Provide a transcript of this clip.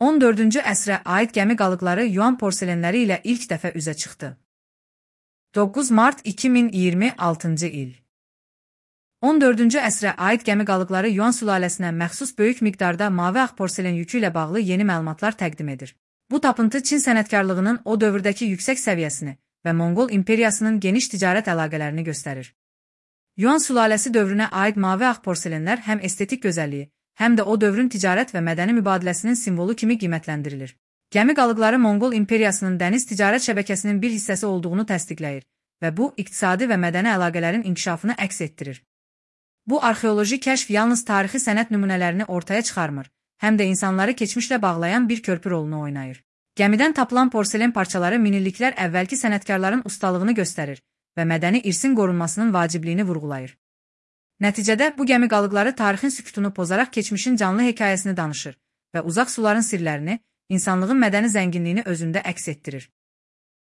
14-cü əsrə aid gəmi qalıqları Yuan porselenləri ilə ilk dəfə üzə çıxdı. 9 mart 2026-cı il. 14-cü əsrə aid gəmi qalıqları Yuan sülaləsinə məxsus böyük miqdarda mavi ağ porselen yükü ilə bağlı yeni məlumatlar təqdim edir. Bu tapıntı Çin sənətkarlığının o dövrdəki yüksək səviyyəsini və Monqol imperiyasının geniş ticarət əlaqələrini göstərir. Yuan sülaləsi dövrünə aid mavi ağ porselenlər həm estetik gözəlliyi, həm də o dövrün ticarət və mədəni mübadiləsinin simvolu kimi qiymətləndirilir. Gəmi qalıqları Monqol imperiyasının dəniz ticarət şəbəkəsinin bir hissəsi olduğunu təsdiqləyir və bu, iqtisadi və mədəni əlaqələrin inkişafını əks etdirir. Bu arxeoloji kəşf yalnız tarixi sənət nümunələrini ortaya çıxarmır, həm də insanları keçmişlə bağlayan bir körpü rolunu oynayır. Gəmidən tapılan porselen parçaları minilliklər əvvəlki sənətkarların ustalığını göstərir və mədəni irsin qorunmasının vacibliyini vurğulayır. Nəticədə bu gəmi qalıqları tarixin sükutunu pozaraq keçmişin canlı hekayəsini danışır və uzaq suların sirlərini, insanlığın mədəni zənginliyini özündə əks etdirir.